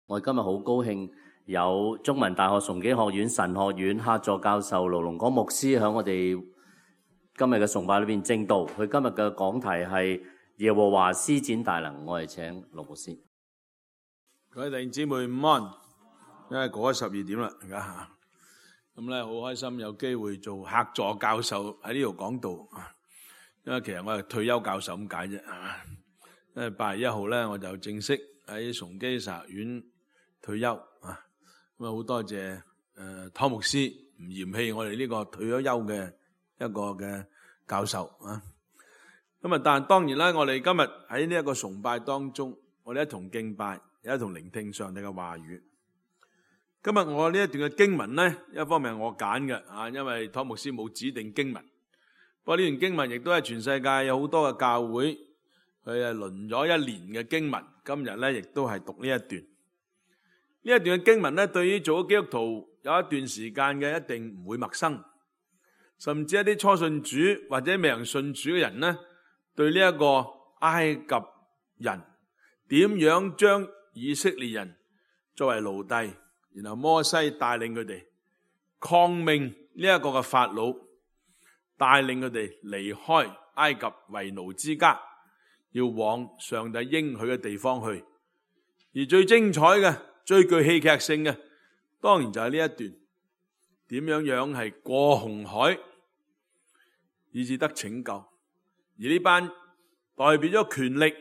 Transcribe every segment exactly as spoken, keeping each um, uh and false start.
我今日好高興有中文大學崇基學院神學院客座教授盧龍光牧師喺我哋今日嘅崇拜裏邊證道。佢今日嘅講題係耶和華施展大能。我哋請盧牧師。各位弟兄姊妹午安，因為過咗十二點啦，而家咁咧好開心有機會做客座教授喺呢度講道。因為其實我係退休教授咁解啫，係嘛？因為八月一號咧我就正式喺崇基神學院退休啊。咁啊好多謝誒湯牧師唔嫌棄我哋呢個退咗休嘅一個嘅教授啊。咁啊，但係當然啦，我哋今日喺呢一個崇拜當中，我哋一同敬拜，一同聆聽上帝嘅話語。今日我呢一段嘅經文咧，一方面係我揀嘅啊，因為湯牧師冇指定經文。不過呢段經文亦都係全世界有好多嘅教會，佢係輪咗一年嘅經文。今日咧亦都係讀呢一段。呢一段嘅經文咧，對於做咗基督徒有一段時間嘅，一定唔會陌生。甚至一啲初信主或者未曾信主嘅人咧，對呢一個埃及人點樣將以色列人作為奴隸，然後摩西帶領佢哋抗命呢一個嘅法老，帶領佢哋離開埃及為奴之家，要往上帝應許嘅地方去。而最精彩嘅、最具戲劇性嘅，當然就係呢一段點樣樣係過紅海，以至得拯救。而呢班代表咗權力、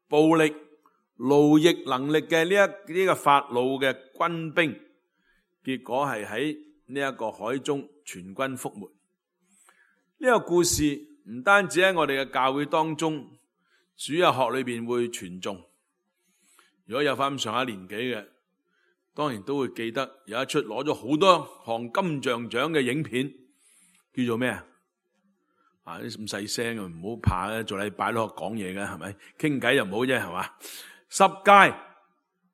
暴力、奴役能力嘅呢一呢個法老嘅軍兵，結果係喺呢一個海中全軍覆沒。呢個故事唔單止喺我哋嘅教會當中主日學裏邊會傳頌，如果有翻咁上下年紀嘅，當然都會記得有一出攞咗好多項金像獎嘅影片，叫做咩啊？啊啲咁細聲啊，唔好怕咧，做禮拜都學講嘢嘅係咪？傾偈又唔好啫，係嘛？十誡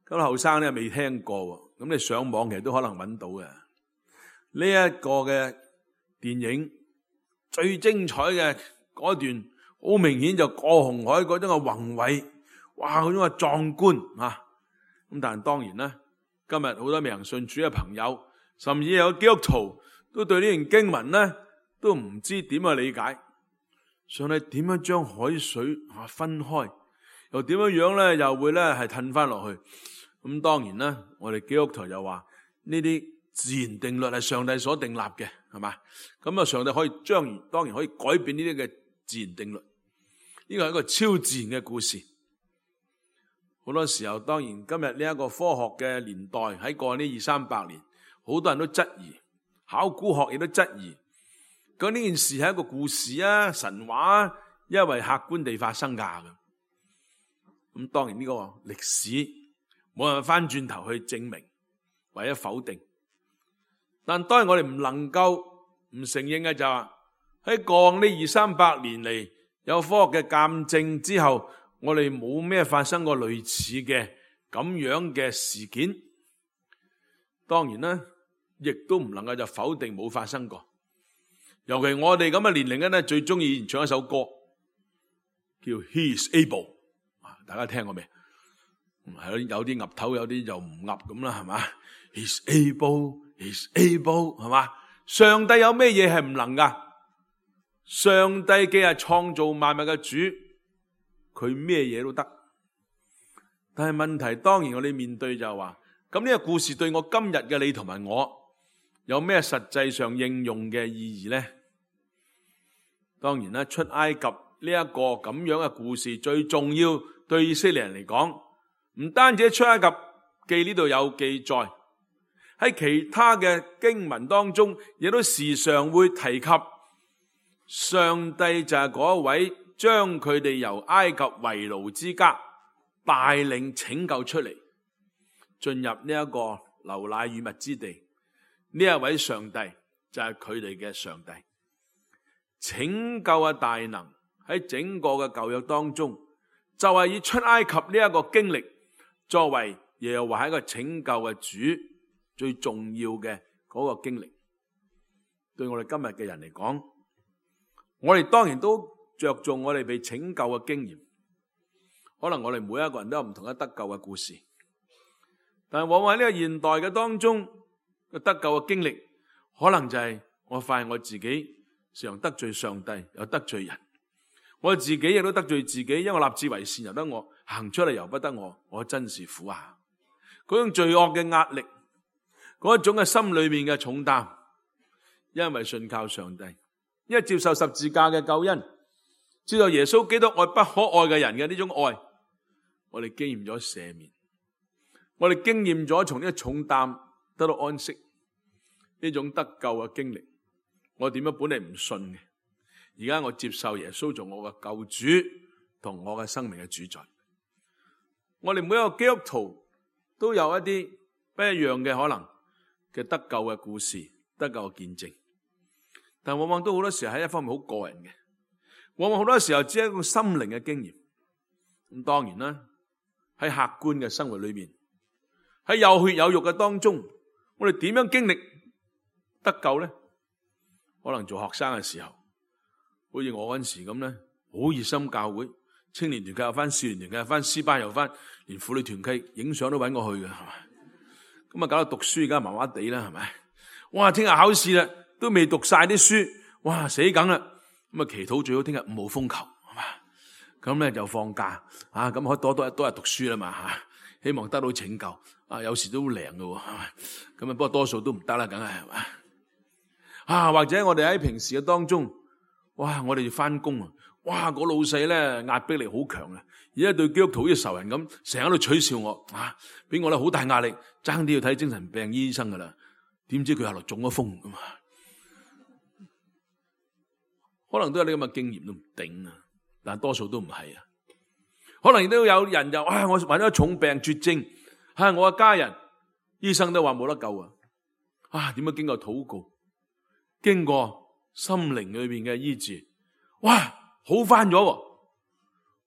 咁後生咧未聽過，咁你上網其實都可能揾到嘅。呢一個嘅電影最精彩嘅嗰段，好明顯就過紅海嗰種嘅宏偉，哇嗰種嘅壯觀啊！咁但係當然啦，今日好多未曾信主嘅朋友，甚至有基督徒都對呢段經文咧都唔知點去理解。上帝點樣將海水啊分開，又點樣樣咧又會咧係褪翻落去？咁當然啦，我哋基督徒就話呢啲自然定律係上帝所定立嘅，係嘛？咁啊，上帝可以將當然可以改變呢啲嘅自然定律。呢個係一個超自然嘅故事。好多時候，當然今日呢一個科學嘅年代，喺過去呢二三百年，好多人都質疑，考古學亦都質疑，究竟呢件事係一個故事啊、神話啊，因為客觀地發生㗎。咁當然呢個歷史冇人翻轉頭去證明或者否定。但當然我哋唔能夠唔承認嘅就係喺過往呢二三百年嚟，有科學嘅鑑證之後，我哋冇咩發生過類似嘅咁樣嘅事件。當然啦，亦都唔能夠就否定冇發生過。尤其我哋咁嘅年齡咧，最中意唱一首歌叫 He is able， 大家聽過未？係有啲岌頭，有啲就唔岌咁啦，係嘛？ He's able，He's able， 係嘛？上帝有咩嘢係唔能噶？上帝既係創造萬物嘅主，佢咩嘢都得。但係問題當然我哋面對就係話，咁呢個故事對我今日嘅你同埋我有咩實際上應用嘅意義呢？當然啦，出埃及呢一個咁樣嘅故事最重要，對以色列人嚟講，唔單止喺出埃及記呢度有記載，喺其他嘅經文當中亦都時常會提及上帝就係嗰一位將佢哋由埃及為奴之家帶領拯救出嚟，進入呢一個流奶與蜜之地。呢一位上帝就係佢哋嘅上帝，拯救嘅大能喺整個嘅舊約當中，就係以出埃及呢一個經歷作為耶和華係一個拯救嘅主最重要嘅嗰個經歷。對我哋今日嘅人嚟講，我哋當然都着重我哋被拯救嘅經驗。可能我哋每一個人都有唔同嘅得救嘅故事，但係往往喺呢個現代嘅當中嘅得救嘅經歷，可能就係我發現我自己常得罪上帝，又得罪人。我自己亦都得罪自己，因為我立志為善由得我，行出嚟由不得我，我真是苦啊！嗰種罪惡嘅壓力，嗰一種嘅心裏面嘅重擔，因為信靠上帝，因為接受十字架嘅救恩，知道耶穌基督愛不可愛嘅人嘅呢種愛，我哋經驗咗赦免，我哋經驗咗從呢個重擔得到安息，呢種得救嘅經歷。我點樣本嚟唔信嘅，而家我接受耶穌做我嘅救主同我嘅生命嘅主宰。我哋每一個基督徒都有一啲不一樣嘅可能嘅得救嘅故事，得救嘅見證，但往往都好多時候喺一方面好個人嘅，往往好多時候只係一個心靈嘅經驗。咁當然啦，喺客觀嘅生活裏面，喺有血有肉嘅當中，我哋點樣經歷得救咧？可能做學生嘅時候，好似我嗰陣時咁咧，好熱心教會，青年團契又翻，少年團契又翻，詩班又翻，連婦女團契影相都揾我去嘅，係咪？咁啊，搞到讀書而家麻麻地啦，係咪？哇，聽日考試啦，都未讀晒啲書，哇，死梗啦！咁啊，祈禱最好聽日五號風球，係嘛？咁咧就放假啊，咁可以多多多日讀書啦嘛吓，希望得到拯救啊！有時都好靈嘅，係咪？咁啊，不過多數都唔得啦，梗係係嘛？啊，或者我哋喺平時嘅當中，哇，我哋要翻工啊，哇，個老細咧壓迫力好強啊！而家對基督徒好似仇人咁，成日喺度取笑我，啊，俾我咧好大壓力，爭啲要睇精神病醫生噶啦。點知佢後來中咗風咁啊？可能都有呢咁嘅經驗都唔定啊，但多數都唔係啊。可能亦都有人就啊，我患咗重病絕症，啊，我嘅家人醫生都話冇得救啊。啊，點樣經過禱告，經過心靈裏邊嘅醫治，哇，好翻咗！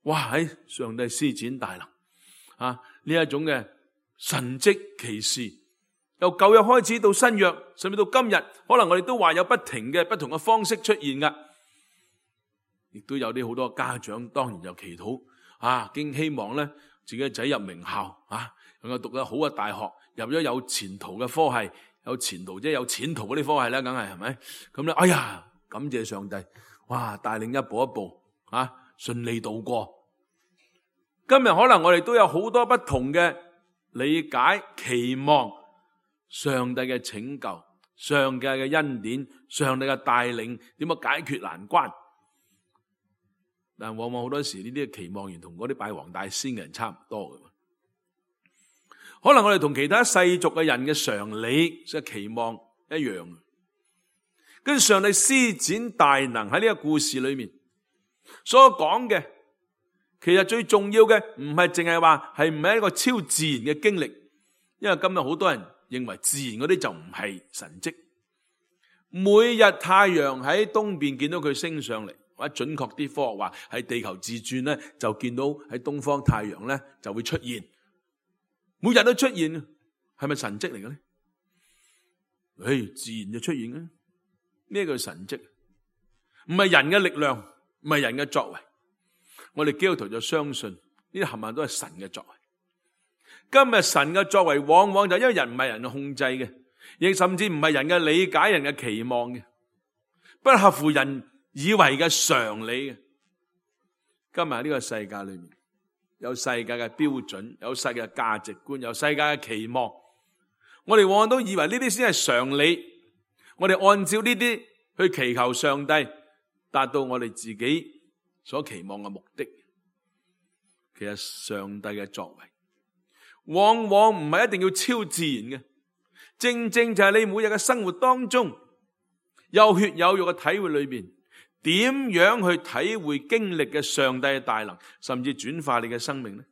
哇，喺上帝施展大能啊！呢一種嘅神蹟奇事，由舊約開始到新約，甚至到今日，可能我哋都話有不停嘅不同嘅方式出現噶。亦都有啲好多家長，當然就祈禱啊，經希望咧自己嘅仔入名校啊，能夠讀得好嘅大學，入咗有前途嘅科系，有前途即係有前途嗰啲科系啦，梗係係咪？咁咧，哎呀，感謝上帝，哇，帶領一步一步啊，順利度過。今日可能我哋都有好多不同嘅理解、期望上帝嘅拯救、上帝嘅恩典、上帝嘅帶領，點樣解決難關？但往往好多時呢啲嘅期望完同嗰啲拜黃大仙嘅人差唔多嘅。可能我哋同其他世俗嘅人嘅常理即係期望一樣，跟住上帝施展大能喺呢個故事裏面所講嘅，其實最重要嘅唔係淨係話係唔係一個超自然嘅經歷，因為今日好多人認為自然嗰啲就唔係神蹟。每日太陽喺東邊見到佢升上嚟，或者準確啲科學話喺地球自轉咧，就見到喺東方太陽咧就會出現，每日都出現，係咪神蹟嚟嘅咧？誒，自然就出現嘅，咩叫神蹟？唔係人嘅力量，唔係人嘅作為。我哋基督徒就相信呢啲冚唪唥都係神嘅作為。今日神嘅作為往往就因為人唔係人控制嘅，亦甚至唔係人嘅理解、人嘅期望嘅，不合乎人以為嘅常理嘅。今日喺呢個世界裏面，有世界嘅標準，有世界嘅價值觀，有世界嘅期望。我哋往往都以為呢啲先係常理，我哋按照呢啲去祈求上帝達到我哋自己所期望嘅目的。其實上帝嘅作為往往唔係一定要超自然嘅，正正就係你每日嘅生活當中有血有肉嘅體會裏邊，點樣去體會經歷嘅上帝嘅大能，甚至轉化你嘅生命呢？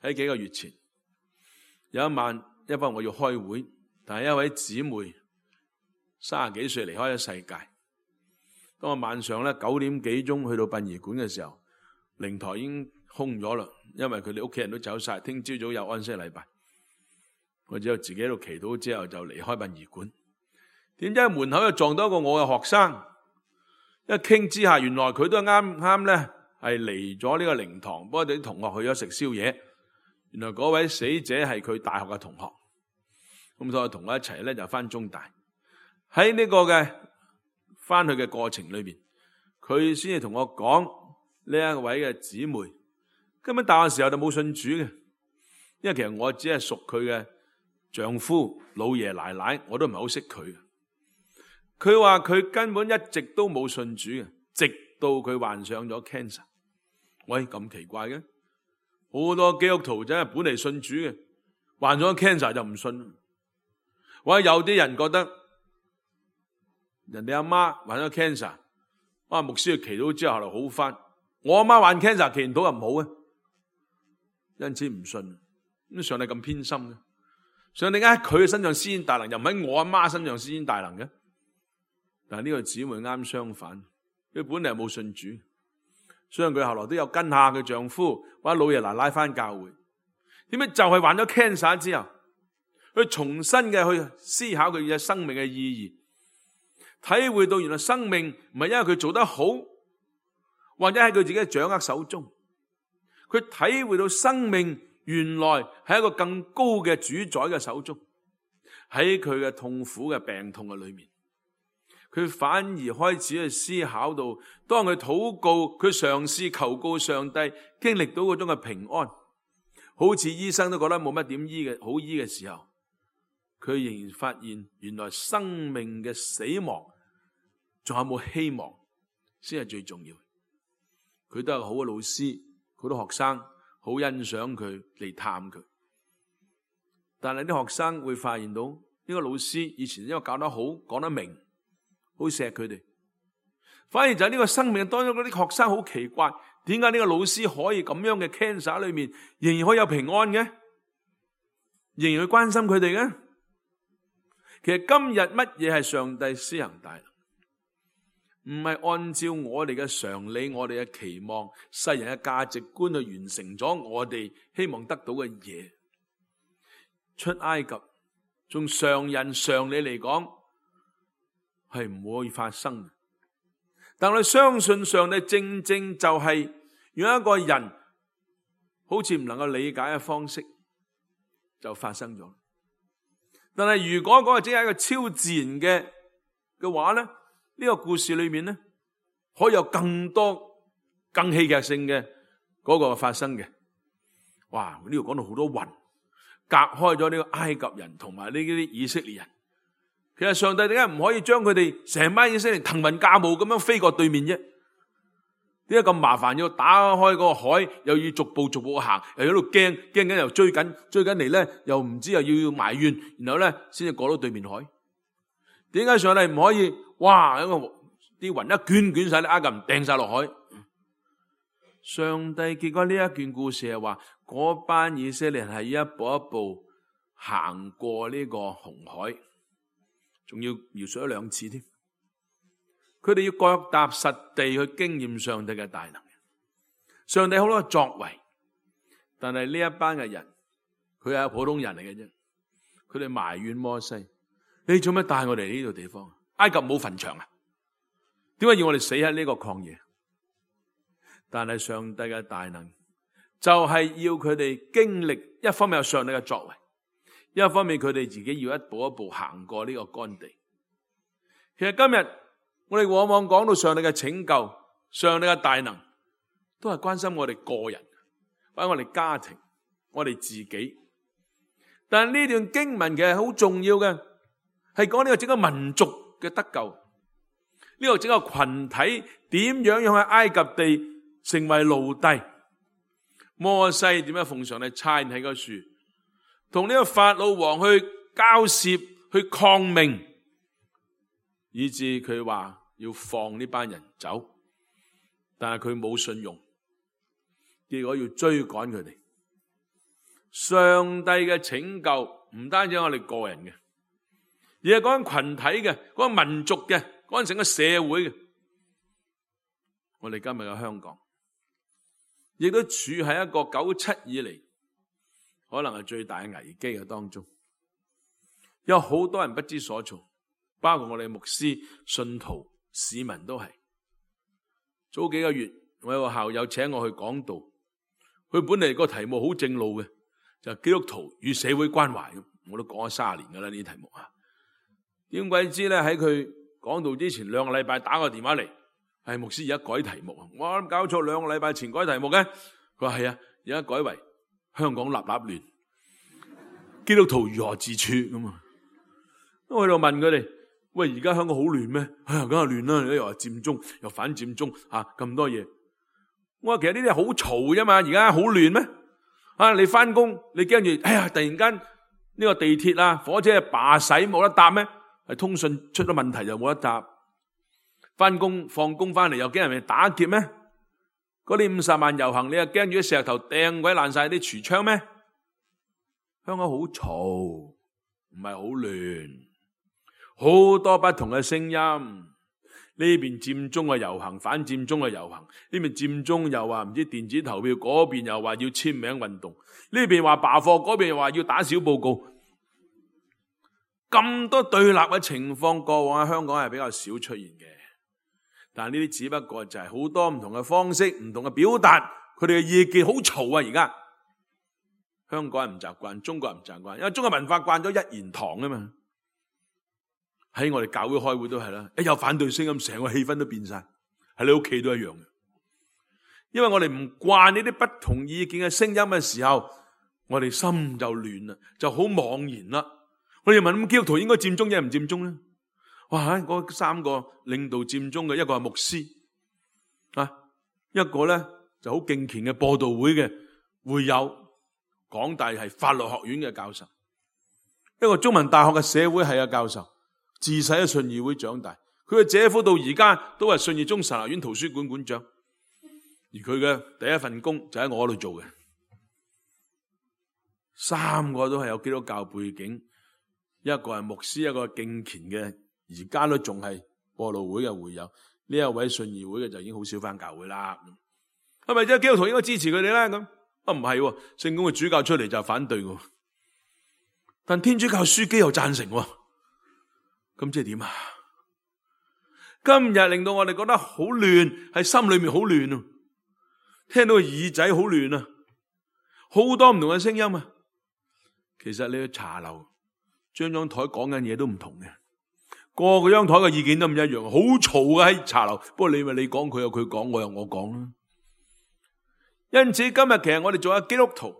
喺幾個月前有一晚，因為我要開會，但係一位姊妹三十幾歲離開咗世界。當我晚上咧九點幾鐘去到殯儀館嘅時候，靈台已經空咗啦，因為佢哋屋企人都走晒，聽朝早有安息禮拜。我只有自己喺度祈禱之後就離開殯儀館。點知喺門口又撞到一個我嘅學生，一傾之下，原來佢都啱啱咧係嚟咗呢個靈堂，幫我哋啲同學去咗食宵夜。原來嗰位死者係佢大學嘅同學，咁所以同我一齊咧就翻中大。喺呢個嘅翻去嘅過程裏邊，佢先至同我講呢一位嘅姊妹，根本大學時候就冇信主嘅，因為其實我只係屬佢嘅丈夫、老爺奶奶，我都唔係好識佢。佢話佢根本一直都冇信主嘅，直到佢患上咗 cancer。喂，咁奇怪嘅，好多基督徒真係本嚟信主嘅，患咗 cancer 就唔信。或者有啲人覺得人哋阿媽患咗 cancer， 啊牧師去祈禱之後就好翻。我阿媽患 cancer 祈禱又唔好嘅，因此唔信。咁上帝咁偏心嘅，上帝喺佢嘅身上施展大能，又唔喺我阿媽身上施展大能嘅。但係呢個姊妹啱相反，佢本嚟係冇信主，所以佢後來都有跟下佢丈夫或者老爺奶奶翻教會。點解就係患咗 cancer 之後，佢重新嘅去思考佢嘅生命嘅意義，體會到原來生命唔係因為佢做得好，或者喺佢自己嘅掌握手中，佢體會到生命原來係一個更高嘅主宰嘅手中，喺佢嘅痛苦嘅病痛嘅裏面，佢反而開始去思考到，當佢禱告，佢嘗試求告上帝，經歷到嗰種嘅平安，好似醫生都覺得冇乜點醫嘅好醫嘅時候，佢仍然發現原來生命嘅死亡仲有冇希望先係最重要。佢都係個好嘅老師，好多學生好欣賞佢嚟探佢，但係啲學生會發現到呢個老師以前因為教得好，講得明，好錫佢哋，反而就係呢個生命當中嗰啲學生好奇怪，點解呢個老師可以咁樣嘅 cancer 裏面仍然可以有平安嘅，仍然去關心佢哋嘅？其實今日乜嘢係上帝施行大能，唔係按照我哋嘅常理、我哋嘅期望、世人嘅價值觀去完成咗我哋希望得到嘅嘢。出埃及，從常人常理嚟講係唔會發生嘅，但我哋相信上帝正正就係用一個人好似唔能夠理解嘅方式就發生咗。但係如果嗰個只係一個超自然嘅嘅話咧，呢個故事裏面咧可以有更多更戲劇性嘅嗰個發生嘅。哇！呢度講到好多雲隔開咗呢個埃及人同埋呢啲以色列人。其實上帝點解唔可以將佢哋成班以色列人騰雲駕霧咁樣飛過對面啫？點解咁麻煩要打開嗰個海，又要逐步逐步行，又喺度驚驚緊，又追緊追緊嚟咧，又唔知又要要埋怨，然後咧先至過到對面海？點解上帝唔可以？哇！因為啲雲一捲捲晒啲埃及人掟晒落海。上帝結果呢一段故事係話，嗰班以色列人係一步一步行過呢個紅海，仲要描述咗兩次添。佢哋要腳踏實地去經驗上帝嘅大能。上帝好多作為，但係呢一班嘅人，佢係普通人嚟嘅啫。佢哋埋怨摩西：你做咩帶我哋呢度地方？埃及冇墳場啊？點解要我哋死喺呢個曠野？但係上帝嘅大能就係要佢哋經歷，一方面有上帝嘅作為，一方面佢哋自己要一步一步行過呢個乾地。其實今日我哋往往講到上帝嘅拯救、上帝嘅大能，都係關心我哋個人，或者我哋家庭、我哋自己。但係呢段經文嘅好重要嘅係講呢個整個民族嘅得救，呢個整個群體點樣樣喺埃及地成為奴隸，摩西點樣奉上帝差遣喺個樹，同呢個法老王去交涉、去抗命，以致佢話要放呢班人走，但係佢冇信用，結果要追趕佢哋。上帝嘅拯救唔單止係我哋個人嘅，而係講緊群體嘅、講緊民族嘅、講緊成個社會嘅。我哋今日嘅香港亦都處喺一個九七以嚟可能係最大嘅危機嘅當中，有好多人不知所措，包括我哋牧師、信徒、市民都係。早幾個月我有個校友請我去講道，佢本嚟個題目好正路嘅，就基督徒與社會關懷，我都講咗三十年噶啦呢啲題目啊。點鬼知咧喺佢講道之前兩個禮拜打個電話嚟，係牧師而家改題目，我諗搞錯，兩個禮拜前改題目嘅，佢話係啊，而家改為香港立立亂，基督徒如何自處咁啊？我喺度問佢哋，喂，而家香港好亂咩？哎呀，梗係亂啦！又話佔中，又反佔中，吓、啊、咁多嘢。我話其實呢啲係好嘈啫嘛，而家好亂咩？啊，你翻工你驚住，哎呀，突然間呢個地鐵啊、火車罷駛冇得搭咩？係通訊出咗問題就冇得搭。翻工放工翻嚟又驚人哋打劫咩？嗰啲五十萬遊行，你又驚住啲石頭掟鬼爛晒啲櫥窗咩？香港好嘈，唔係好亂。好多不同嘅聲音，呢邊佔中嘅遊行，反佔中嘅遊行，呢邊佔中又話唔知電子投票，嗰邊又話要簽名運動，呢邊話罷課，嗰邊又話要打小報告，咁多對立嘅情況，過往喺香港係比較少出現嘅。但係呢啲只不過就係好多唔同嘅方式，唔同嘅表達，佢哋嘅意見好嘈啊！而家香港人唔習慣，中國人唔習慣，因為中國文化慣咗一言堂啊嘛。喺我哋教會開會都係啦，一有反對聲音，成個氣氛都變晒。喺你屋企都一樣嘅，因為我哋唔慣呢啲不同意見嘅聲音嘅時候，我哋心就亂啦，就好茫然啦。我哋問咁基督徒應該佔中定唔佔中咧？哇！嗰三個領導佔中嘅，一個係牧師啊，一個咧就好敬虔嘅播道會嘅會友，港大係法律學院嘅教授，一個中文大學嘅社會系嘅教授。自細喺信義會長大，佢嘅姐夫到而家都係信義中神學院圖書館館長，而佢嘅第一份工就喺我嗰度做嘅。三個都係有基督教背景，一個係牧師，一個係敬虔嘅，而家都仲係播道會嘅會友。呢一位信義會嘅就已經好少返教會啦。係咪即係基督徒應該支持佢哋咧？咁啊唔係，聖公嘅主教出嚟就反對嘅，但天主教樞機又贊成。咁即係點啊？今日令到我哋覺得好亂，喺心裏面好亂啊！聽到個耳仔好亂啊！好多唔同嘅聲音啊！其實你去茶樓，張張台講緊嘢都唔同嘅，個個張台嘅意見都唔一樣，好嘈啊！喺茶樓。不過你咪你講，佢有佢講，我有我講啦。因此今日其實我哋做下基督徒，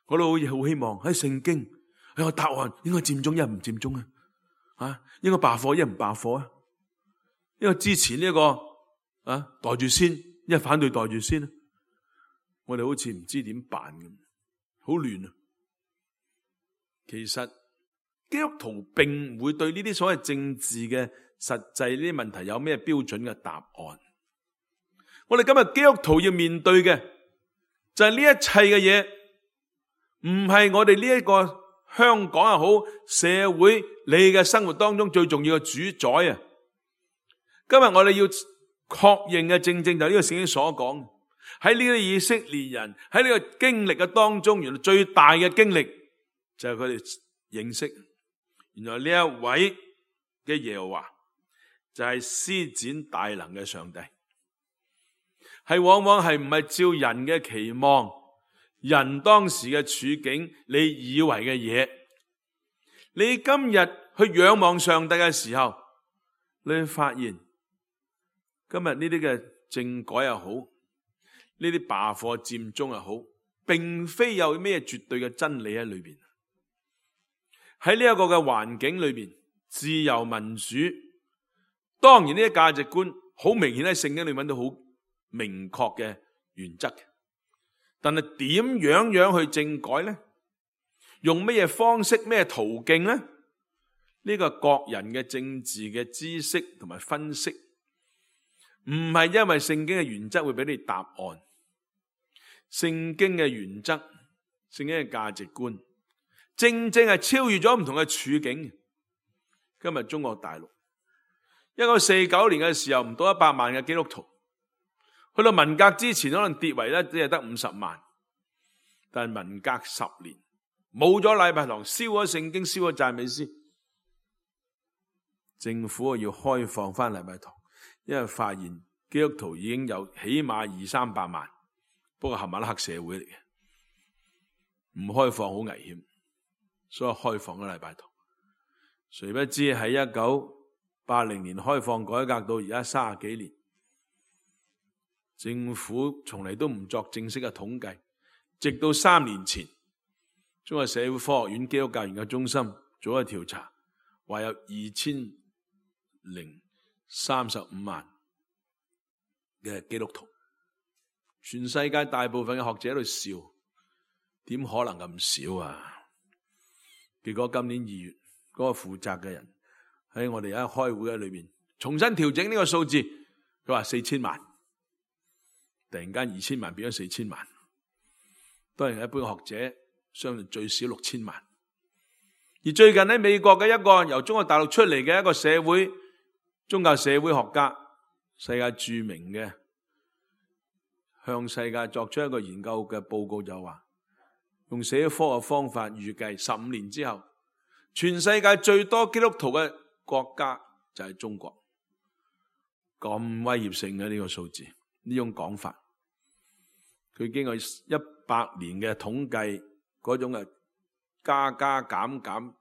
我都好好希望喺聖經有個答案，應該佔中一唔佔中啊？啊，應該罷課一唔罷課啊？因為支持呢、這個啊袋住先，因為反對袋住先啊。我哋好似唔知點辦咁，好亂啊！其實基督徒並唔會對呢啲所謂政治嘅實際呢啲問題有咩標準嘅答案。我哋今日基督徒要面對嘅就係呢一切嘅嘢，唔係我哋呢一個香港又好，社會你嘅生活當中最重要嘅主宰啊！今日我哋要確認嘅正正就係呢個聖經所講，喺呢啲以色列人喺呢個經歷嘅當中，原來最大嘅經歷就係佢哋認識，原來呢一位嘅耶和華就係施展大能嘅上帝，係往往係唔係照人嘅期望，人當時嘅處境，你以為嘅嘢，你今日去仰望上帝嘅時候，你會發現今日呢啲嘅政改又好，呢啲罷課佔中又好，並非有咩絕對嘅真理喺裏邊。喺呢一個嘅環境裏邊，自由民主，當然呢啲價值觀好明顯喺聖經裏揾到好明確嘅原則。但係點樣樣去政改呢？用咩方式、咩途徑呢？呢個各人嘅政治嘅知識同埋分析，唔係因為聖經嘅原則會俾你答案。聖經嘅原則、聖經嘅價值觀，正正係超越咗唔同嘅處境。今日中國大陸一九四九年嘅時候，唔到一百萬嘅基督徒。去到文革之前，可能跌為咧只係得五十萬，但係文革十年冇咗禮拜堂，燒咗聖經，燒咗讚美詩，政府要開放翻禮拜堂，因為發現基督徒已經有起碼二三百萬，不過冚唪唥黑社會嚟嘅，唔開放好危險，所以開放嘅禮拜堂。誰不知喺一九八零年開放改革到而家三十幾年，政府從嚟都唔作正式嘅統計，直到三年前，中國社會科學院基督教研究中心做咗調查，話有二千零三十五萬嘅基督徒，全世界大部分嘅學者喺度笑，點可能咁少啊？結果今年二月，嗰個負責嘅人喺我哋一開會嘅裏面重新調整呢個數字，佢話四千萬，突然間二千萬變咗四千萬。當然一般學者相信最少六千萬。而最近喺美國嘅一個由中國大陸出嚟嘅一個社會宗教社會學家，世界著名嘅，向世界作出一個研究嘅報告就話，用社會科學方法預計十五年之後，全世界最多基督徒嘅國家就係中國。咁威脅性嘅呢個數字，呢種講法，佢經過一百年嘅統計嗰種嘅加加減減、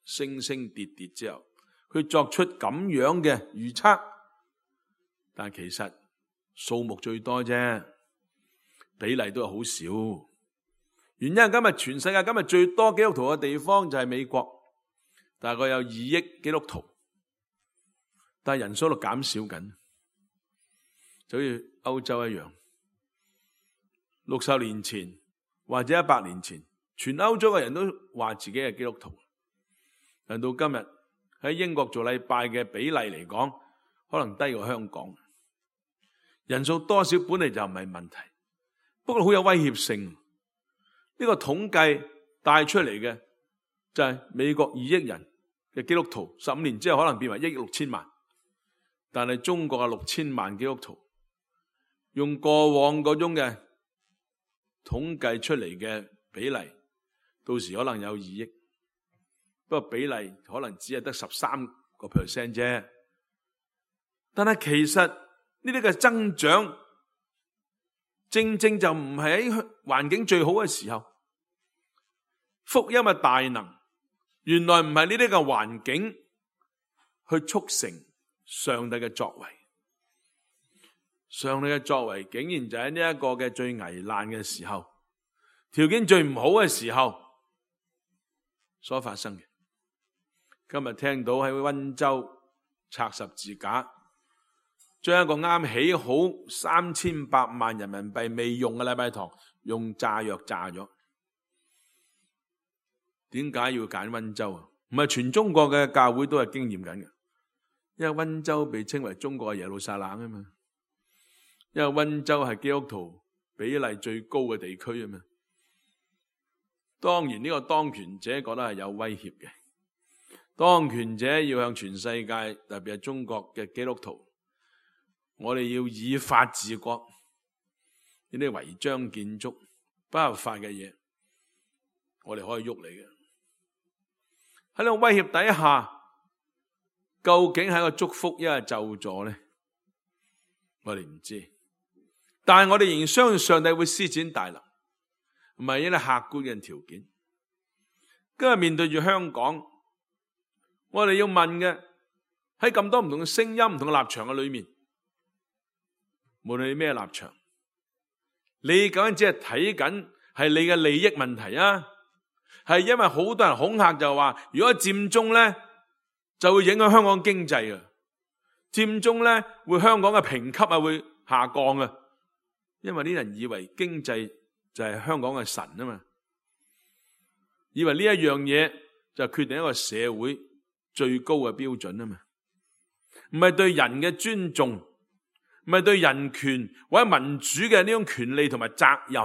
升升跌跌之後，佢作出咁樣嘅預測，但其實數目最多啫，比例都係好少。原因係今日全世界今日最多基督徒嘅地方就係美國，大概有二億基督徒，但係人數喺度減少緊，就好似歐洲一樣。六十年前或者一百年前，全歐洲嘅人都話自己係基督徒，但到今日喺英國做禮拜嘅比例嚟講，可能低過香港。人數多少本嚟就唔係問題，不過好有威脅性。呢個統計帶出嚟嘅就係美國二億人嘅基督徒，十五年之後可能變為一億六千萬，但係中國嘅六千萬基督徒，用過往嗰種嘅統計出嚟嘅比例，到時可能有二億，不過比例可能只係得十三個 percent 啫。但係其實呢啲嘅增長，正正就唔係喺環境最好嘅時候。福音嘅大能，原來唔係呢啲嘅環境去促成上帝嘅作為。上帝嘅作為竟然就喺呢一個嘅最危難嘅時候，條件最唔好嘅時候所發生嘅。今日聽到喺溫州拆十字架，將一個啱起好三千八萬人民幣未用嘅禮拜堂用炸藥炸咗。點解要揀溫州啊？唔係全中國嘅教會都係經驗緊嘅，因為溫州被稱為中國嘅耶路撒冷啊嘛，因為溫州係基督徒比例最高嘅地區啊嘛。當然呢個當權者覺得係有威脅嘅，當權者要向全世界，特別係中國嘅基督徒，我哋要以法治國，呢啲違章建築、不合法嘅嘢，我哋可以喐你嘅。喺呢個威脅底下，究竟係一個祝福，一係咒詛呢？我哋唔知，但係我哋仍然相信上帝會施展大能，唔係一啲客觀嘅條件。今日面對住香港，我哋要問嘅喺咁多唔同嘅聲音、唔同嘅立場嘅裏面，無論你咩立場，你究竟只係睇緊係你嘅利益問題啊？係因為好多人恐嚇就話，如果佔中咧就會影響香港經濟嘅，佔中咧會香港嘅評級啊會下降嘅，因為啲人以為經濟就係香港嘅神啊嘛，以為呢一樣嘢就決定一個社會最高嘅標準啊嘛，唔係對人嘅尊重，唔係對人權或者民主嘅呢種權利同埋責任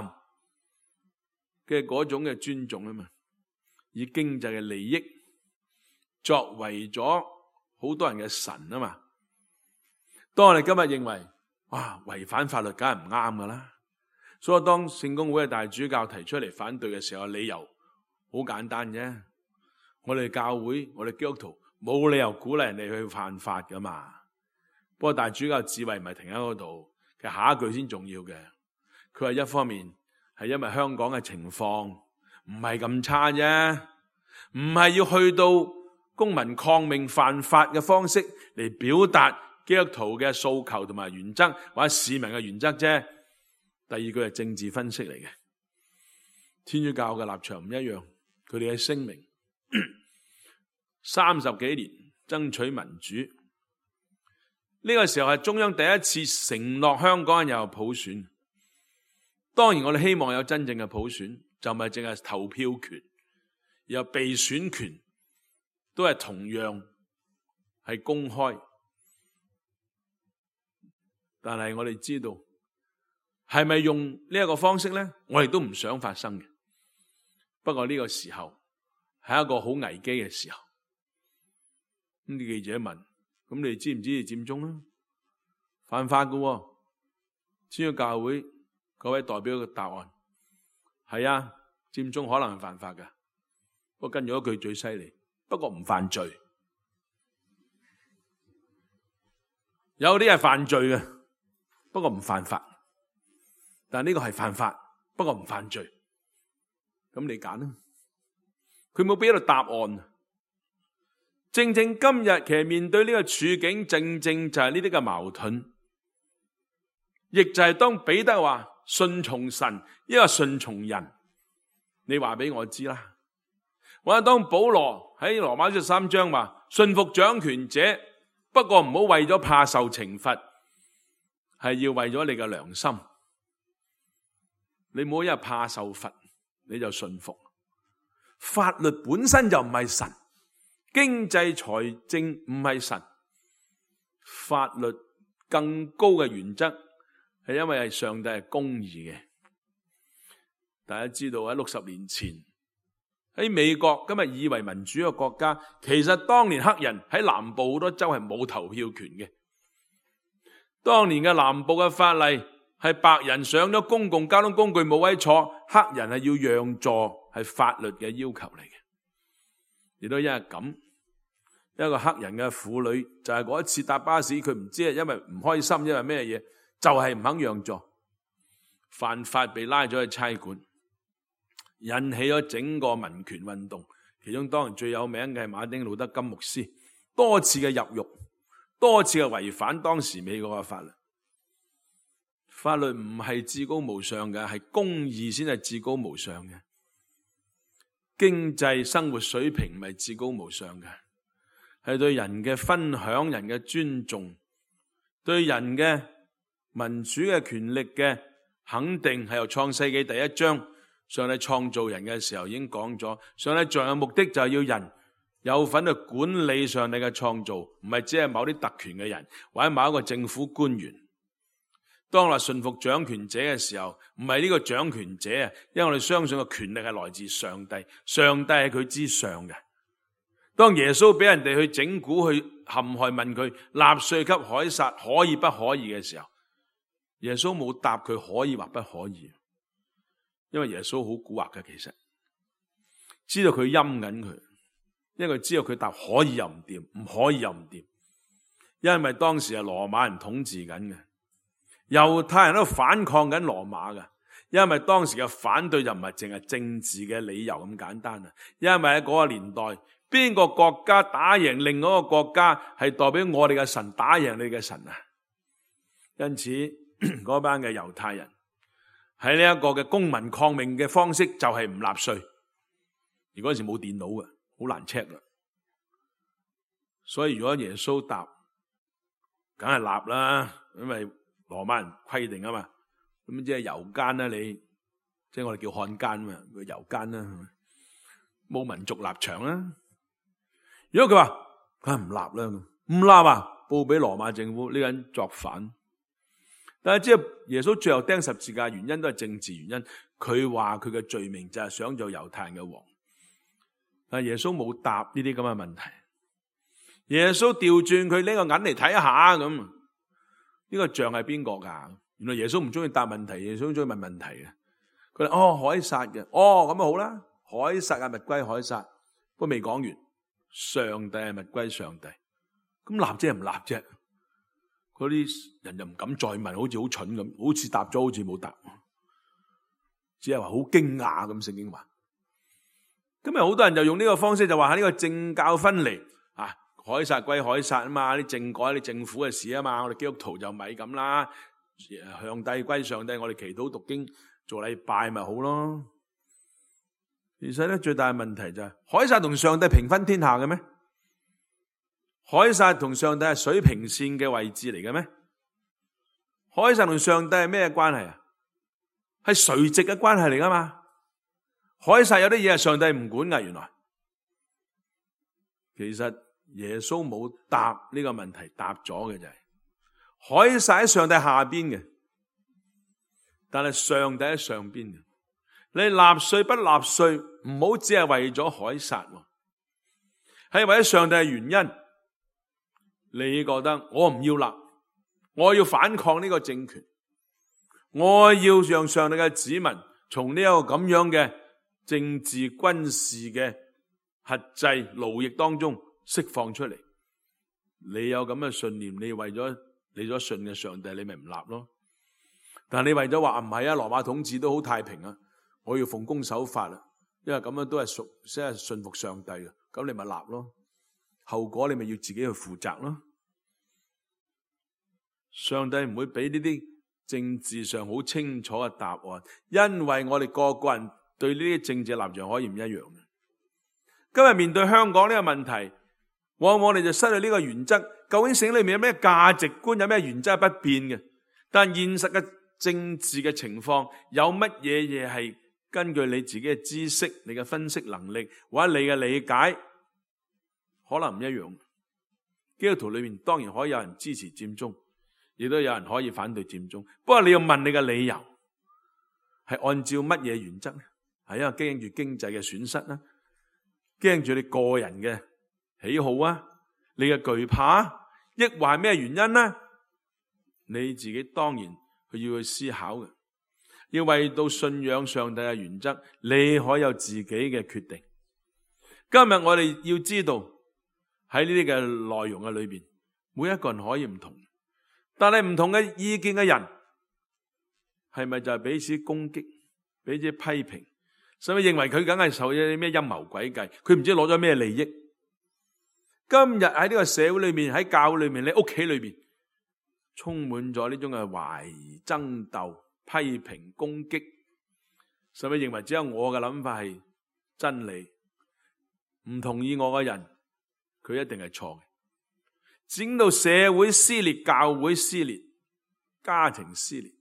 嘅嗰種嘅尊重啊嘛。以經濟嘅利益作為咗好多人嘅神啊嘛。當我哋今日認為哇違反法律梗係唔啱噶啦，所以當聖公會嘅大主教提出嚟反對嘅時候，理由好簡單啫。我哋教會，我哋基督徒冇理由鼓勵人哋去犯法噶嘛。不過大主教智慧唔係停喺嗰度，其實下一句先重要嘅。佢話一方面係因為香港嘅情況，唔係咁差啫，唔係要去到公民抗命犯法嘅方式嚟表達基督徒嘅訴求同埋原則，或者市民嘅原則啫。第二句係政治分析嚟嘅，天主教嘅立場唔一樣，佢哋嘅聲明三十幾年爭取民主，呢個時候係中央第一次承諾香港人有普選。當然我哋希望有真正嘅普選，就唔係淨係投票權，有被選權都係同樣係公開。但係我哋知道係咪用呢一個方式呢？我哋都唔想發生嘅。不過呢個時候係一個好危機嘅時候。咁啲記者問：咁你知唔知你佔中啊？犯法㗎喎。天主教會嗰位代表嘅答案係啊，佔中可能係犯法㗎。不過跟住一句最犀利，不過唔犯罪。有啲係犯罪嘅，不過唔犯法。但呢個係犯法，不過唔犯罪。咁你揀啦。佢冇俾到答案。正正今日其實面對呢個處境，正正就係呢啲嘅矛盾，亦就係當彼得話順從神，抑或順從人，你話俾我知啦。或者當保羅喺羅馬書三章話順服掌權者，不過唔好為咗怕受懲罰，係要為咗你嘅良心。你唔好因為怕受罰你就順服。法律本身就唔係神，經濟財政唔係神，法律更高嘅原則係因為係上帝係公義嘅。大家知道喺六十年前喺美國今日以為民主嘅國家，其實當年黑人喺南部好多州係冇投票權嘅。當年嘅南部嘅法例係白人上咗公共交通工具冇位坐，黑人係要讓座，係法律嘅要求嚟嘅。亦都因為咁，一個黑人嘅婦女就係嗰一次搭巴士，佢唔知係因為唔開心，因為咩嘢，就係唔肯讓座，犯法被拉咗去差館，引起咗整個民權運動。其中當然最有名嘅係馬丁路德金牧師，多次嘅入獄，多次嘅違反當時美國嘅法律。法律唔係至高無上嘅，係公義先係至高無上嘅。經濟生活水平唔係至高無上嘅，係對人嘅分享、人嘅尊重，對人嘅民主嘅權力嘅肯定，係由創世紀第一章上帝創造人嘅時候已經講咗，上帝造人嘅目的就係要人有份去管理上帝嘅創造，唔係只係某啲特權嘅人或者某一個政府官員。當我哋順服掌權者嘅時候，唔係呢個掌權者啊，因為我哋相信個權力係來自上帝，上帝係佢之上嘅。當耶穌俾人哋去整蠱、去陷害，問佢納稅給凱撒可以不可以嘅時候，耶穌冇答佢可以或不可以，因為耶穌好蠱惑嘅，其實知道佢陰緊佢，因為佢知道佢答可以又唔掂，唔可以又唔掂，因為當時係羅馬人統治緊嘅。猶太人都反抗緊羅馬嘅，因為當時嘅反對就唔係淨係政治嘅理由咁簡單啊！因為喺嗰個年代，邊個國家打贏另外一個國家，係代表我哋嘅神打贏你嘅神啊！因此嗰班嘅猶太人喺呢一個嘅公民抗命嘅方式就係唔納稅，而嗰陣時冇電腦嘅，好難 check 嘅。所以如果耶穌答，梗係納啦，因為羅馬人規定啊嘛，咁即係猶奸啦，你即係我哋叫漢奸嘛，佢猶奸啦，冇民族立場啦。如果佢話佢係唔立啦，唔立啊，報俾羅馬政府呢個人作反。但係即係耶穌最後釘十字架原因都係政治原因，佢話佢嘅罪名就係想做猶太人嘅王。但係耶穌冇答呢啲咁嘅問題，耶穌調轉佢拎個銀嚟睇下咁。呢個像係邊個噶？原來耶穌唔中意答問題，耶穌中意問問題嘅。佢話哦，凱撒嘅，哦咁啊好啦，凱撒係物歸凱撒，不過未講完，上帝係物歸上帝。咁立即係唔立啫？嗰啲人就唔敢再問，好似好蠢咁，好似答咗，好似冇答，只係話好驚訝咁。聖經話今日好多人就用呢個方式就話呢個政教分離啊，凱撒歸凱撒啊嘛，啲政改啲政府嘅事啊嘛，我哋基督徒就咪咁啦，上帝歸上帝，我哋祈禱讀經做禮拜咪好咯。其實咧最大嘅問題就係凱撒同上帝平分天下嘅咩？凱撒同上帝係水平線嘅位置嚟嘅咩？凱撒同上帝係咩關係啊？係垂直嘅關係嚟噶嘛？凱撒有啲嘢係上帝唔管噶，原來其實耶穌冇答呢個問題，答咗嘅就係凱撒喺上帝下邊嘅，但係上帝喺上邊嘅。你納稅不納稅，唔好只係為咗凱撒，係為咗上帝嘅原因。你覺得我唔要納，我要反抗呢個政權，我要讓上帝嘅子民從呢一個咁樣嘅政治軍事嘅轄制奴役當中釋放出嚟。你有咁嘅信念，你為咗你所信嘅上帝，你咪唔立咯。但係你為咗話唔係啊，羅馬統治都好太平啊，我要奉公守法啦，因為咁樣都係屬即係信服上帝嘅，咁你咪立咯。後果你咪要自己去負責咯。上帝唔會俾呢啲政治上好清楚嘅答案，因為我哋個個人對呢啲政治立場可以唔一樣嘅。今日面對香港呢個問題，往往我哋就失去呢個原則。究竟聖經裏面有咩價值觀，有咩原則係不變嘅？但現實嘅政治嘅情況，有乜嘢嘢係根據你自己嘅知識、你嘅分析能力或者你嘅理解，可能唔一樣。基督徒裏面當然可以有人支持佔中，亦都有人可以反對佔中。不過你要問你嘅理由，係按照乜嘢原則呢？係因為驚住經濟嘅損失啦，驚住你個人嘅喜好啊，你嘅懼怕，抑或係咩原因呢？你自己當然佢要去思考嘅，要為到信仰上帝嘅原則，你可以有自己嘅決定。今日我哋要知道喺呢啲嘅內容嘅裏邊，每一個人可以唔同，但係唔同嘅意見嘅人，係咪就係彼此攻擊、彼此批評，甚至認為佢梗係受咗啲咩陰謀詭計？佢唔知攞咗咩利益。今日喺呢個社會裏面，喺教會裏面，你屋企裏邊，充滿咗呢種嘅懷疑、爭鬥、批評、攻擊，甚至認為只有我嘅諗法係真理，唔同意我嘅人，佢一定係錯嘅。整到社會撕裂、教會撕裂、家庭撕裂。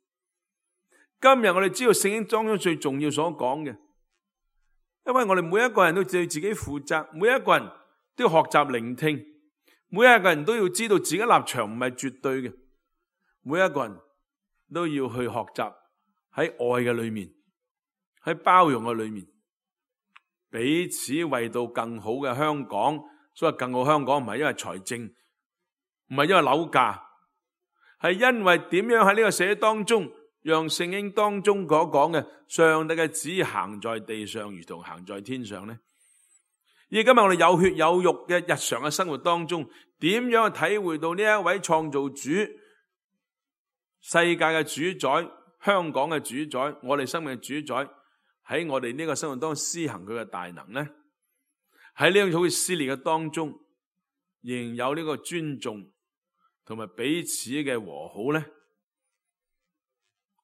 今日我哋知道聖經當中最重要所講嘅，因為我哋每一個人都對自己負責，每一個人都要學習聆聽，每一個人都要知道自己立場唔係絕對嘅，每一個人都要去學習喺愛嘅裏面，喺包容嘅裏面，彼此為到更好嘅香港。所謂更好香港唔係因為財政，唔係因為樓價，係因為點樣喺呢個社會當中，讓聖經當中所講嘅上帝嘅旨意行在地上，如同行在天上呢？而今日我哋有血有肉嘅日常嘅生活當中，點樣去體會到呢一位創造主、世界嘅主宰、香港嘅主宰、我哋生命嘅主宰喺我哋呢個生活當中施行佢嘅大能呢？喺呢種好似撕裂嘅當中，仍有呢個尊重同埋彼此嘅和好呢？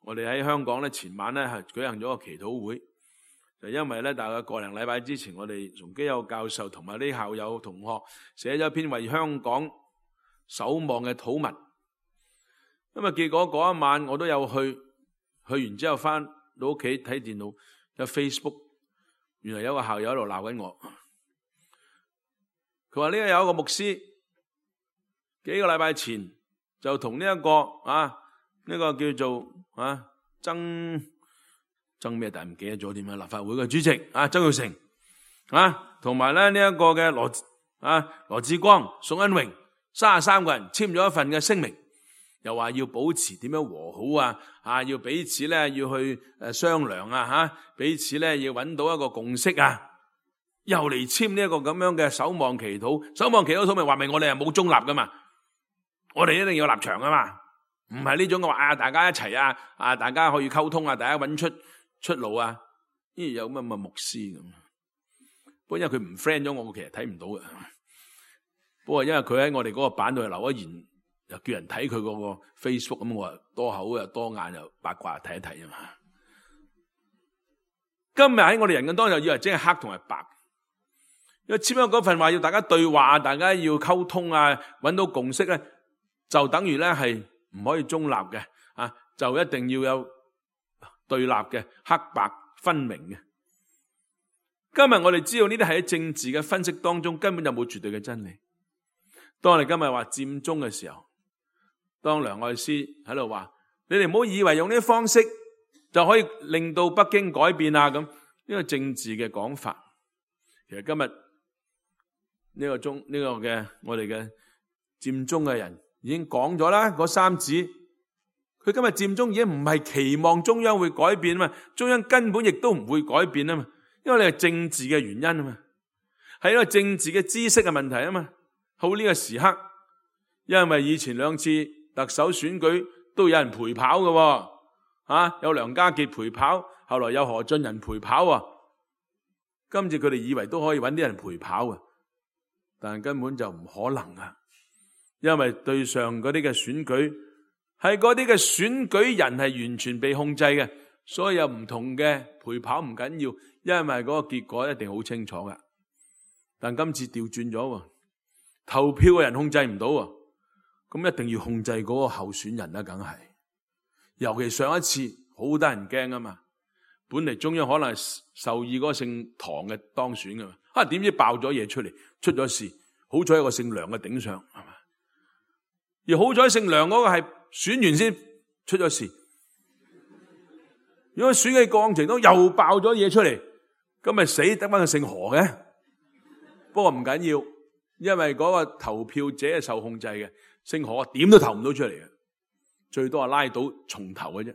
我哋喺香港咧，前晚咧係舉行咗個祈禱會，就因為咧大概個零禮拜之前，我哋崇基有教授同埋啲校友同學寫咗一篇為香港守望嘅禱文。咁啊，結果嗰一晚我都有去，去完之後翻到屋企睇電腦，有 Facebook， 原來有個校友喺度鬧緊我。佢話呢個有一個牧師幾個禮拜前就同呢一個啊呢、呢個叫做啊曾曾咩，但係唔記得咗點樣，立法會嘅主席啊曾鈺成啊，同埋咧呢一、呢個嘅羅啊羅致光、宋恩榮三十三個人簽咗一份嘅聲明，又話要保持點樣和好啊啊，要彼此咧要去誒商量啊吓，彼此咧要揾到一個共識啊。又嚟簽呢一個咁樣嘅守望祈禱，守望祈禱禱明話明我哋係冇中立噶嘛，我哋一定要立場噶嘛，唔係呢種嘅話啊，大家一齊啊，啊大家可以溝通啊，大家揾出出路啊，呢有乜乜牧師咁，不過因為佢唔 friend 咗我，我其實睇唔到嘅。不過因為佢喺我哋嗰個版度留咗言，又叫人睇佢嗰個 Facebook， 咁我話多口又多眼又八卦睇一睇啊嘛。今日喺我哋人嘅當中，以為只係黑同埋白，因為簽咗嗰份話要大家對話，大家要溝通啊，搵到共識咧，就等於咧係唔可以中立嘅啊，就一定要有對立嘅，黑白分明嘅。今日我哋知道呢啲係喺政治嘅分析當中根本就冇絕對嘅真理。當我哋今日話佔中嘅時候，當梁愛詩喺度話，你哋唔好以為用呢啲方式就可以令到北京改變啊，咁呢個政治嘅講法。其實今日呢個中呢個嘅我哋嘅佔中嘅人已經講咗啦，嗰三子佢今日佔中已經唔係期望中央會改變啊嘛，中央根本亦都唔會改變啊嘛，因為你係政治嘅原因啊嘛，係因為政治嘅知識嘅問題啊嘛。好，呢個時刻，因為以前兩次特首選舉都有人陪跑嘅，啊，有梁家傑陪跑，後來有何俊仁陪跑啊。今次佢哋以為都可以揾啲人陪跑啊，但根本就唔可能啊，因為對上嗰啲嘅選舉係嗰啲嘅選舉人係完全被控制嘅，所以有唔同嘅陪跑唔緊要，因為嗰個結果一定好清楚㗎。但今次調轉咗，投票嘅人控制唔到，咁一定要控制嗰個候選人啦，梗係。尤其上一次好得人驚啊嘛，本嚟中央可能係授意嗰個姓唐嘅當選噶嘛，啊點知爆咗嘢出嚟，出咗事，好彩有個姓梁嘅頂上，係嘛？而好彩姓梁嗰個係選完先出咗事，如果選嘅過程中又爆咗嘢出嚟，咁咪死得翻個姓何嘅。不過唔緊要。因為嗰個投票者係受控制嘅，姓何點都投唔到出嚟嘅，最多係拉到重投嘅啫。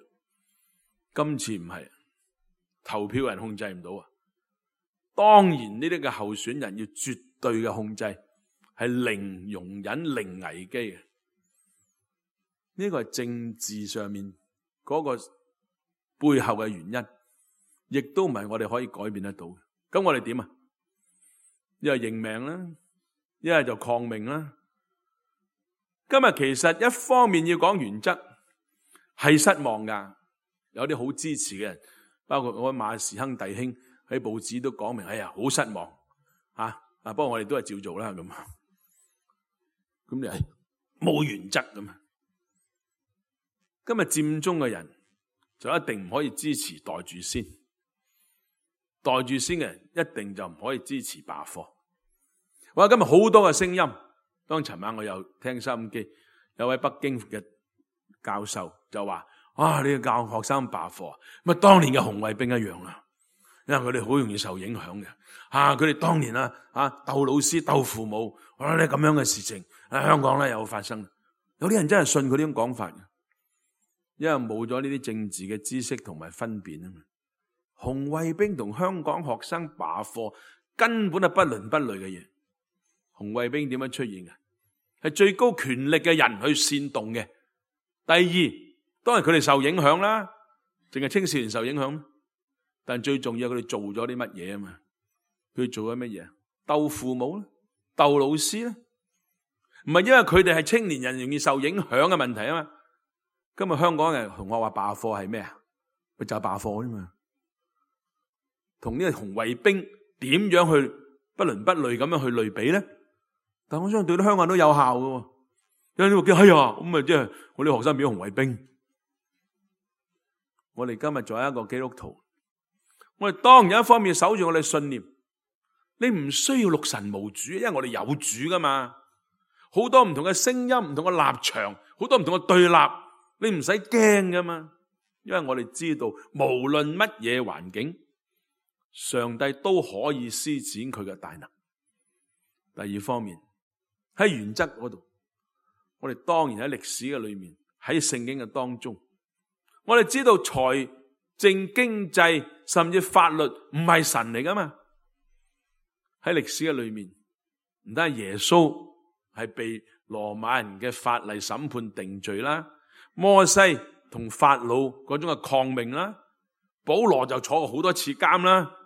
今次唔係，投票人控制唔到啊！當然呢啲嘅候選人要絕對嘅控制，係零容忍、零危機嘅。呢個係政治上面嗰個背後嘅原因，亦都唔係我哋可以改變得到嘅。咁我哋點啊？一係認命啦。一係就抗命啦。今日其實一方面要講原則，係失望噶，有啲好支持嘅人，包括我馬時亨弟兄喺報紙都講明，哎呀好失望啊！啊，不過我哋都係照做啦咁。咁你係冇原則咁啊？今日佔中嘅人就一定唔可以支持袋住先，袋住先嘅人一定就唔可以支持罷課。我今日好多嘅聲音，當尋晚我又聽收音機，有位北京嘅教授就話：啊，你要教學生罷課，咁啊當年嘅紅衛兵一樣啊，因為佢哋好容易受影響嘅。啊，佢哋當年啊啊鬥老師鬥父母，啊呢咁樣嘅事情喺香港咧有發生。有啲人真係信佢呢種講法嘅，因為冇咗呢啲政治嘅知識同埋分辨啊嘛。紅衛兵同香港學生罷課根本係不倫不類嘅嘢。紅衛兵點樣出現嘅？係最高權力嘅人去煽動嘅。第二，當然佢哋受影響啦，淨係青少年受影響。但最重要，佢哋做咗啲乜嘢啊嘛？佢做咗乜嘢？鬥父母咧，鬥老師咧，唔係因為佢哋係青年人容易受影響嘅問題啊嘛。今日香港人同學話罷課係咩啊？咪就係罷課啫嘛。同呢個紅衛兵點樣去不倫不類咁樣去類比咧？但我相信對啲香港人都有效嘅，有啲話叫哎呀咁啊，即係我啲學生變紅衛兵。我哋今日作為一個基督徒，我哋當然一方面守住我哋信念，你唔需要六神無主，因為我哋有主噶嘛。好多唔同嘅聲音、唔同嘅立場、好多唔同嘅對立，你唔使驚噶嘛。因為我哋知道，無論乜嘢環境，上帝都可以施展佢嘅大能。第二方面，喺原則嗰度，我哋當然喺歷史嘅裏面，喺聖經嘅當中，我哋知道財政、經濟甚至法律唔係神嚟噶嘛。喺歷史嘅裏面，唔單係耶穌係被羅馬人嘅法例審判定罪啦，摩西同法老嗰種嘅抗命啦，保羅就坐過好多次監啦。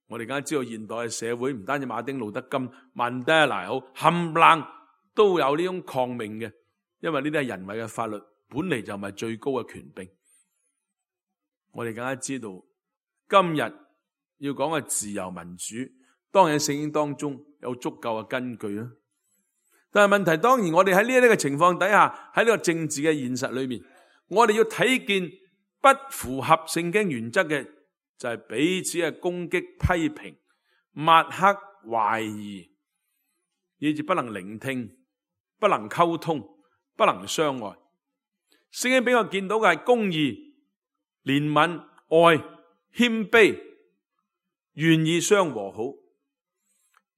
我哋梗係知道現代嘅社會唔單止馬丁路德金、曼德拉好，冚唪唥都有呢種抗命嘅，因為呢啲係人為嘅法律，本嚟就唔係最高嘅權柄。我哋更加知道今日要講嘅自由民主，當然喺聖經當中有足夠嘅根據啦。但係問題，當然我哋喺呢一啲嘅情況底下，喺呢個政治嘅現實裏面，我哋要睇見不符合聖經原則嘅，就係彼此嘅攻擊、批評、抹黑、懷疑，以致不能聆聽、不能溝通、不能相愛。聖經俾我見到嘅係公義、憐憫、愛、謙卑、願意相和好。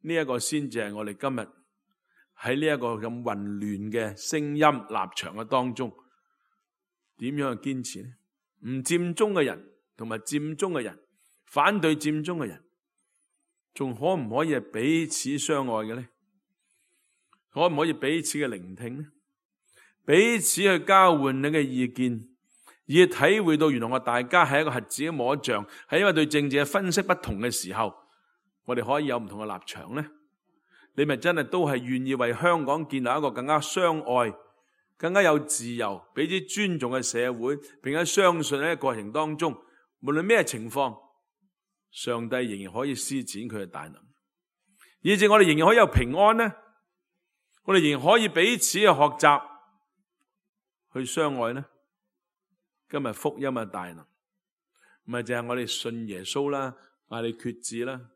呢一個先至係我哋今日喺呢一個咁混亂嘅聲音立場嘅當中，點樣去堅持呢？唔佔中嘅人同埋佔中嘅人，反對佔中嘅人，仲可唔可以係彼此相愛嘅呢？可唔可以彼此嘅聆聽呢？彼此去交換你嘅意見，以體會到原來我大家係一個瞎子嘅摸象，係因為對政治嘅分析不同嘅時候，我哋可以有唔同嘅立場呢？你咪真係都係願意為香港建立一個更加相愛、更加有自由、彼此尊重嘅社會，並且相信喺過程當中，無論咩情況，上帝仍然可以施展佢嘅大能，以致我哋仍然可以有平安呢？我哋仍然可以彼此嘅學習去相愛呢？今日福音嘅大能，唔係淨係我哋信耶穌啦，嗌你決志啦。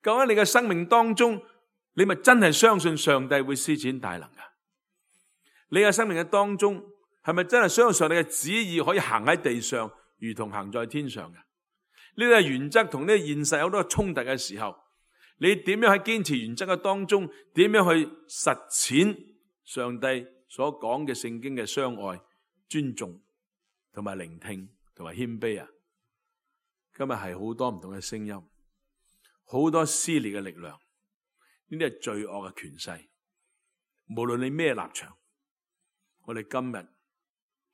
究竟你嘅生命當中，你咪真係相信上帝會施展大能噶？你嘅生命嘅當中，係咪真係相信上帝嘅旨意可以行喺地上，如同行在天上嘅？呢啲係原則同呢個現實有好多衝突嘅時候，你點樣喺堅持原則嘅當中，點樣去實踐上帝所講嘅聖經嘅相愛、尊重同埋聆聽同埋謙卑啊？今日係好多唔同嘅聲音，好多撕裂嘅力量，呢啲係罪惡嘅權勢。無論你咩立場，我哋今日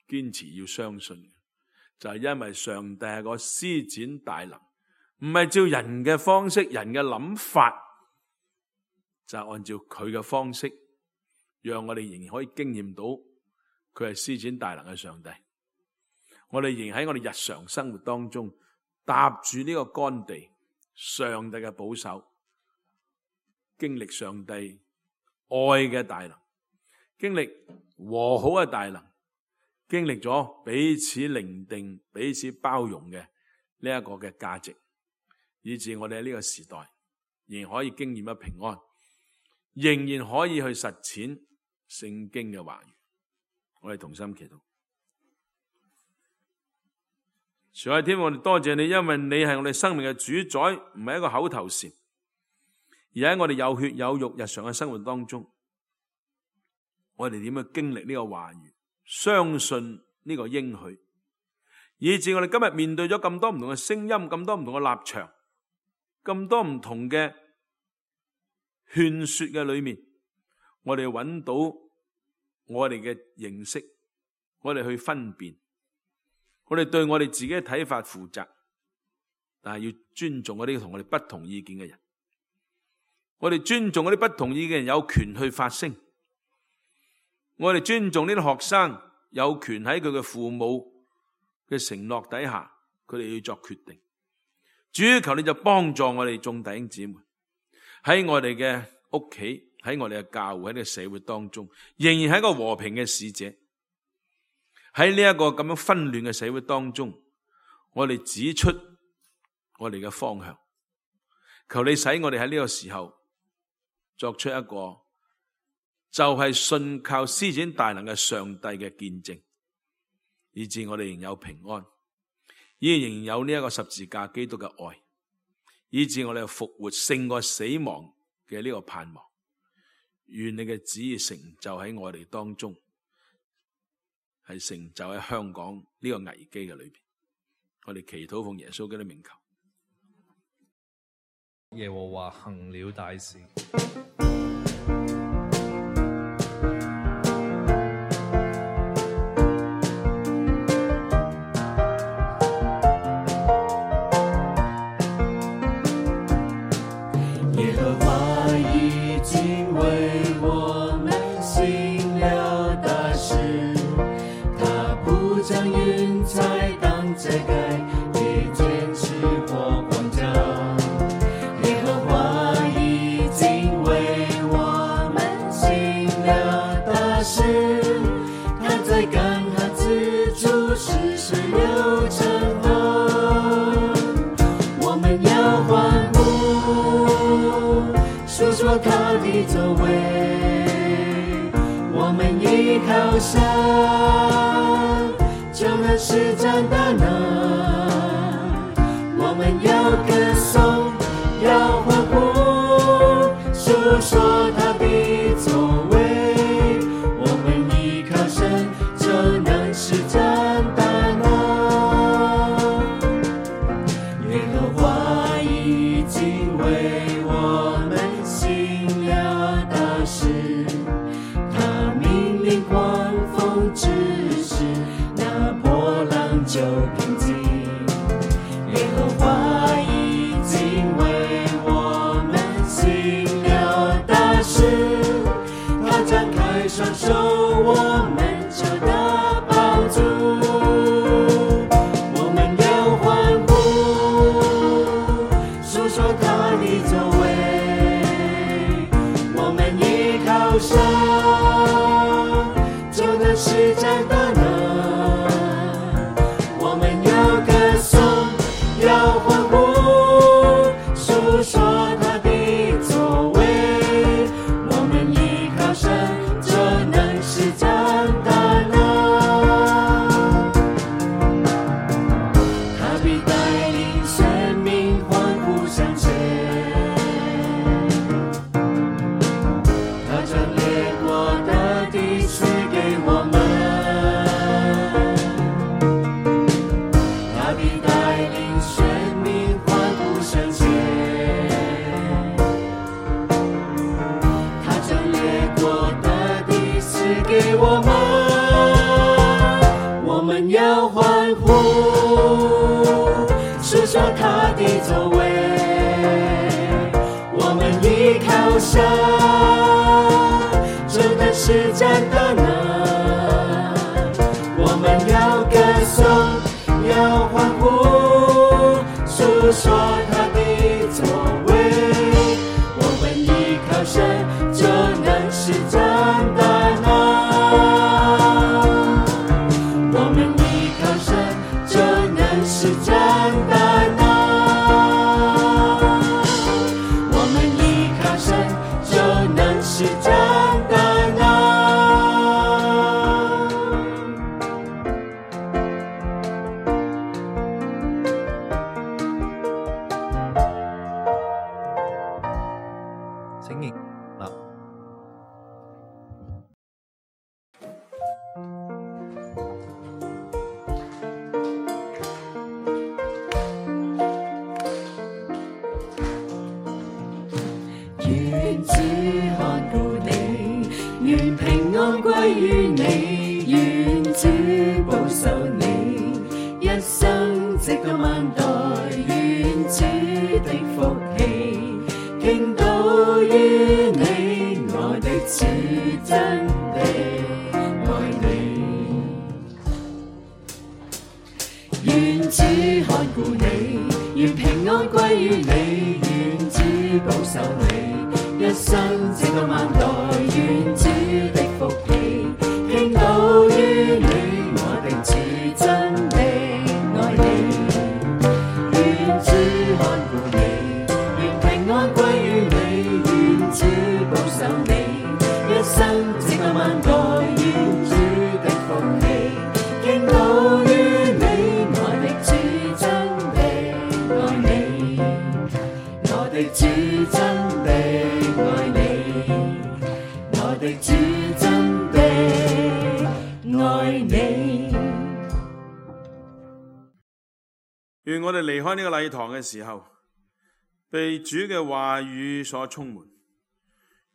堅持要相信，就係因為上帝係個施展大能，唔係照人嘅方式、人嘅諗法，就係按照佢嘅方式，讓我哋仍然可以經驗到佢係施展大能嘅上帝。我哋仍然喺我哋日常生活當中踏住呢個乾地，上帝嘅保守，經歷上帝愛嘅大能，經歷和好嘅大能，經歷咗彼此聆聽、彼此包容嘅呢一個嘅價值，以致我哋喺呢個時代仍然可以經驗咗平安，仍然可以去實踐聖經嘅話語。我哋同心祈禱。主啊，天父，我哋多謝你，因為你係我哋生命嘅主宰，唔係一個口頭禪，而喺我哋有血有肉日常嘅生活當中，我哋點樣經歷呢個話語，相信呢個應許，以致我哋今日面對咗咁多唔同嘅聲音，咁多唔同嘅立場，咁多唔同嘅勸說嘅裏面，我哋揾到我哋嘅認識，我哋去分辨，我哋對我哋自己嘅睇法負責，但係要尊重嗰啲同我哋不同意見嘅人。我哋尊重嗰啲不同意見嘅人有權去發聲。我哋尊重呢啲學生有權喺佢嘅父母嘅承諾底下，佢哋要作決定。主，求你就幫助我哋眾弟兄姊妹喺我哋嘅屋企，喺我哋嘅教會，喺呢個社會當中，仍然係一個和平嘅使者。喺呢一個咁樣紛亂嘅社會當中，我哋指出我哋嘅方向。求你使我哋喺呢個時候作出一個就係信靠施展大能嘅上帝嘅見證，以致我哋仍有平安，依然仍然有呢一個十字架基督嘅愛，以致我哋復活勝過死亡嘅呢個盼望。願你嘅旨意成就喺我哋當中，係成就喺香港呢個危機嘅裏邊。我哋祈禱奉耶穌基督名求。耶和華行了大事。说他的作为，我们依靠神，就能施展大能。我们要歌颂，要欢呼，述说他的作为，我们依靠神，就能施展大能。耶和华已经为我们行了大事，他命令狂风止息，那波浪就平静。耶和华已经为我们行了大事，他张开双手，我们就得抱住。我们要欢呼，述说他的作为，我们依靠神，就能施展大能。我们要歌颂，要欢呼，述说他的作为，我们依靠神，就能施展大能。他必带领生命欢呼向前，他将列国的地赐给我们。他必带领生命欢呼向前，他将列国的地赐给我们。我们要欢呼，述说他的作为，我们依靠神，就能施展大能。我们要歌颂，要欢呼，述说他的作为，我们依靠神，就能施展大能。我们依靠神，就能施展大能。我们依靠神，就能施展大能。請認立。願主看顧你，願平安歸於你，願主保守你，一生直到萬代，願主的福氣傾倒於你，我的主真的愛你。願主看顧你，願平安歸於你，願主保守你，一生直到萬代，願主的福氣傾倒於你，我的主真的愛你。願主看顧你，願平安歸於你，願主保守你，一生直到萬代，願主的福氣傾倒於你，我的主真的愛你，我的主真的愛你，我的主真的愛你。願我哋離開呢個禮堂嘅時候，被主嘅話語所充滿，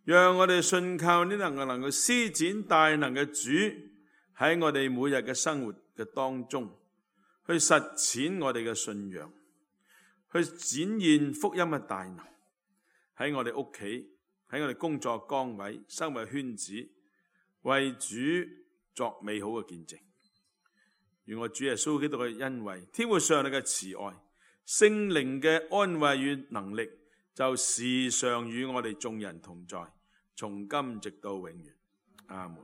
讓我哋信靠呢能夠能夠施展大能嘅主喺我哋每日嘅生活嘅當中，去實踐我哋嘅信仰，去展現福音嘅大能，喺我哋屋企，喺我哋工作崗位、生活圈子，為主作美好嘅見證。願我主耶穌基督嘅恩惠、天父上帝嘅慈愛、聖靈嘅安慰與能力，就時常與我哋眾人同在，從今直到永遠。阿門。